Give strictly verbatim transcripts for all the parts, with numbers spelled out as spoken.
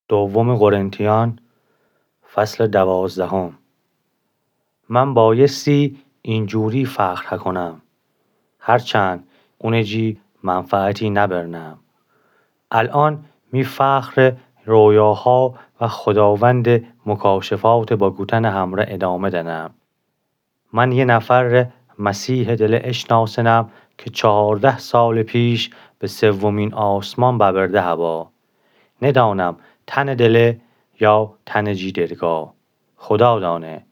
دوم قرنتیان، فصل دوازدهم. من بایستی اینجوری فخر هکونم، هرچند اونٚ جی منفعتی نبرنم. الأن می فخرٚ رویاها و خوداوندٚ مکاشفاتٚ با گوتنٚ همره ادامه دنم. من یه نفر ره مسیحٚ دله اشناسنم که چهارده سالٚ پیش به سومین آسمان ببرده هوا. ندانم تنٚ دله یا تنٚ جی درگاه، خدا دانه.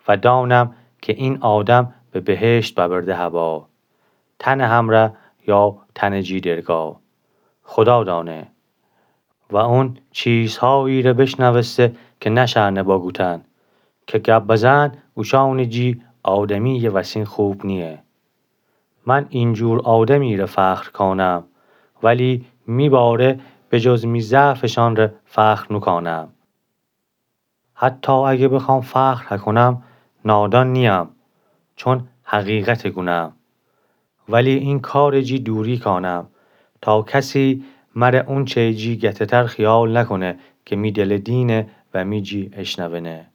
و دانم که این آدم به بهشت ببرده هوا. تنٚ همره یا تنٚ جی درگاه، خدا دانه. و اون چیزهایی ره بشنوسته که نشأنه با گوتن، که گب بزن اوشانٚ جی آدمییٚ وسین خوب نییه. من اینجور آدمی ره فخر کانم، ولی می باره به جز می ضعفشان ره فخر نوکانم. حتی اگه بخوام فخر هکونم، نادان نییم، چون حقیقته گونم. ولی این کارٚ جی دوری کانم، تا کسی مره اونچه جی گته‌تر خیال نکونه که می دله دینه و می جی اشنونه.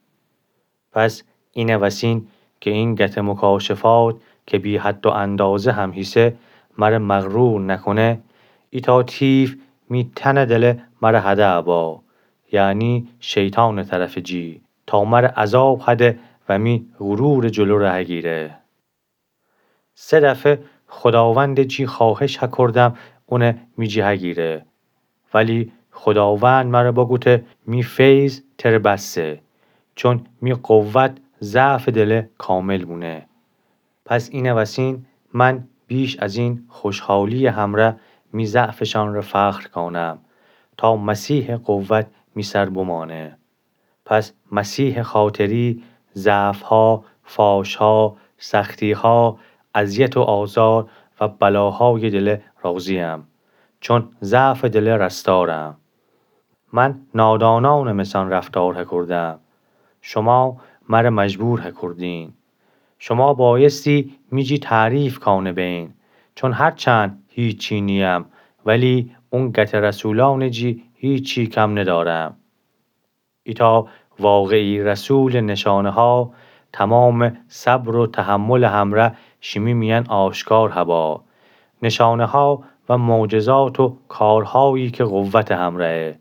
پس اینه وسین که این گته مکاشفات که بی‌حد و اندازه هم هیسه، مره مغرور نکونه، ایتا تیف می تنٚ دله مره هده ابا، یعنی شیطانٚ طرفٚ جی، تا مره عذاب هده و می غرورٚ جلو ره هگیره. سه دفعه خوداوندٚ جی خواهش هکردم اونه می جی هگیره. ولی خوداوند مره بگوته: می فیض تره بسه، چون می قوت ضعفٚ دله کامل بونه. پس اینه وسین من بیش از این خوشحالییٚ همره می ضعفشان ره فخر کانم، تا مسیحٚ قوت می سر بمانه. پس مسیحٚ خاطری ضعفها، فاشها، سختیها، اذیت و آزار و بلاهایٚ دله راضییم، چون ضعفٚ دله رستارم. من نادانانٚ مثان رفتار هکردم، شما مره مجبور هکردین. شما بایستی می جی تعریف کانه بین، چون هرچند هیچی نییم، ولی اون گته رسولانٚ جی هیچی کم ندارم. ایتا واقعی رسولٚ نشانه‌ها تومامٚ صبر و تحملٚ همره شیمی میأن آشکار هبا. نشانه‌ها و معجزات و کارهایی که قوتٚ همره‌یه.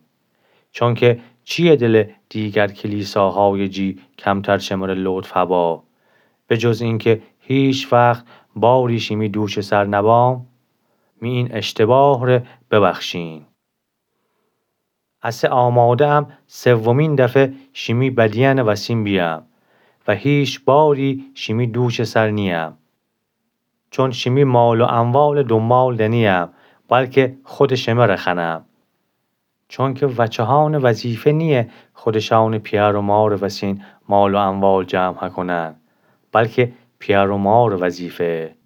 چونکه چییه دلٚ دیگر کلیساهایٚ جی کمتر شمره لطف هبا، به جز اینکه هیچ وقت باری شیمی دوشٚ سر نبام؟ می این اشتباهٚ ره ببخشین. اسه آماده‌ام سومین دفعه شیمی بدیأنٚ وسین بیأم و هیچ باری شیمی دوشٚ سر نیأم. چون شیمی مال و اموالٚ دونبال دنییم، بلکه خودٚ شمره خوأنم. چونکه وچهانٚ وظیفه نییه خودشانٚ پیأر و مارٚ وسین مال و اموال جمع هکونن، بلکه پیأر و مارٚ وظیفه‌یه.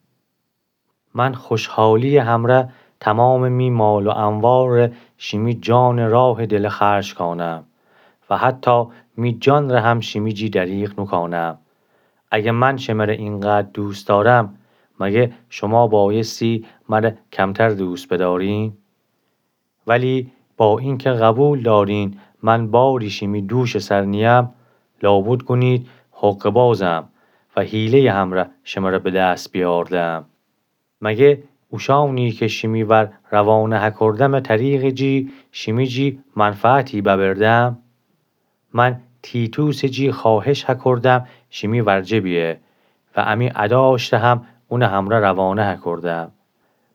من خوشحالییٚ همره تومامٚ می مال و اموال ره شیمی جانٚ راهٚ دله خرج کانم و حتی می جان ره هم شیمی جی دریغ نوکانم. اگه من شمره اینقدر دوست دارم، مگه شما بایستی مره کمتر دوست بدارین؟ ولی با اینکه قبول دارین من باری شیمی دوشٚ سر نییم، لابد گونید حقه‌بازم و حیله‌یٚ همره شمره به دست بیاردم. مگه اوشانی که شیمی ور روانه هکردمٚ طریقٚ جی شیمی جی منفعتی ببردم؟ من تیتوسٚ جی خواهش هکردم شیمی ورجه بیه و امی اداشته هم اونٚ همره روانه هکردم.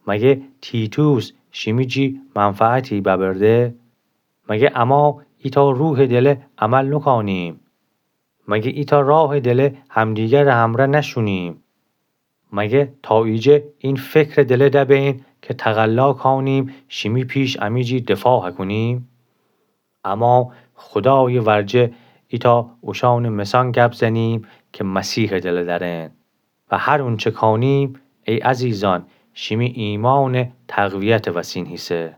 مگه تیتوس شیمی جی منفعتی ببرده؟ مگه اما ایتا روحٚ دله عمل نوکانیم؟ مگه ایتا راهٚ دله همدیگرٚ همره نشونیم؟ مگه تا ایجه این فکرٚ دله دبین که تقلا کانیم شیمی پیش امی جی دفاع هکونیم؟ اما خودایٚ ورجه ایتا اوشانٚ مسان گپ زنیم که مسیحٚ دله درن و هر اونچه کانیم، ای عزیزان، شیمی ایمانٚ تقویتٚ وسین هیسه.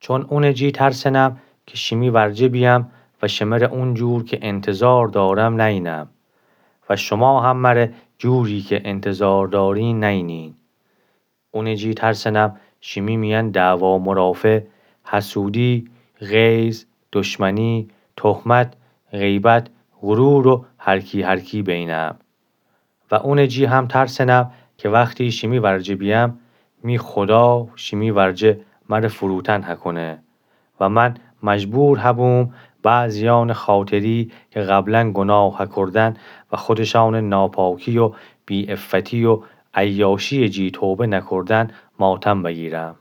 چون اونٚ جی ترسنم که شیمی ورجه بیأم و شمره اونجور که انتظار دارم نینم و شما هم مره جوری که انتظار دارین نینین. اونٚ جی ترسنم شیمی میأن دعوا مرافعه، حسودی، غیظ، دشمنی، تهمت، غیبت، غرور و هر کی هر کی بینم. و اونٚ جی هم ترسنم که وختی شیمی ورجه بیم، می خدا شیمی ورجه مر فروتن هکونه. و من مجبور هبوم بعضیأنٚ خاطری که قبلا گناه هکردن و خودشأنٚ ناپاکی و بی‌عفتی و عیاشی‌یٚ جی توبه نکردن ماتم بگیرم.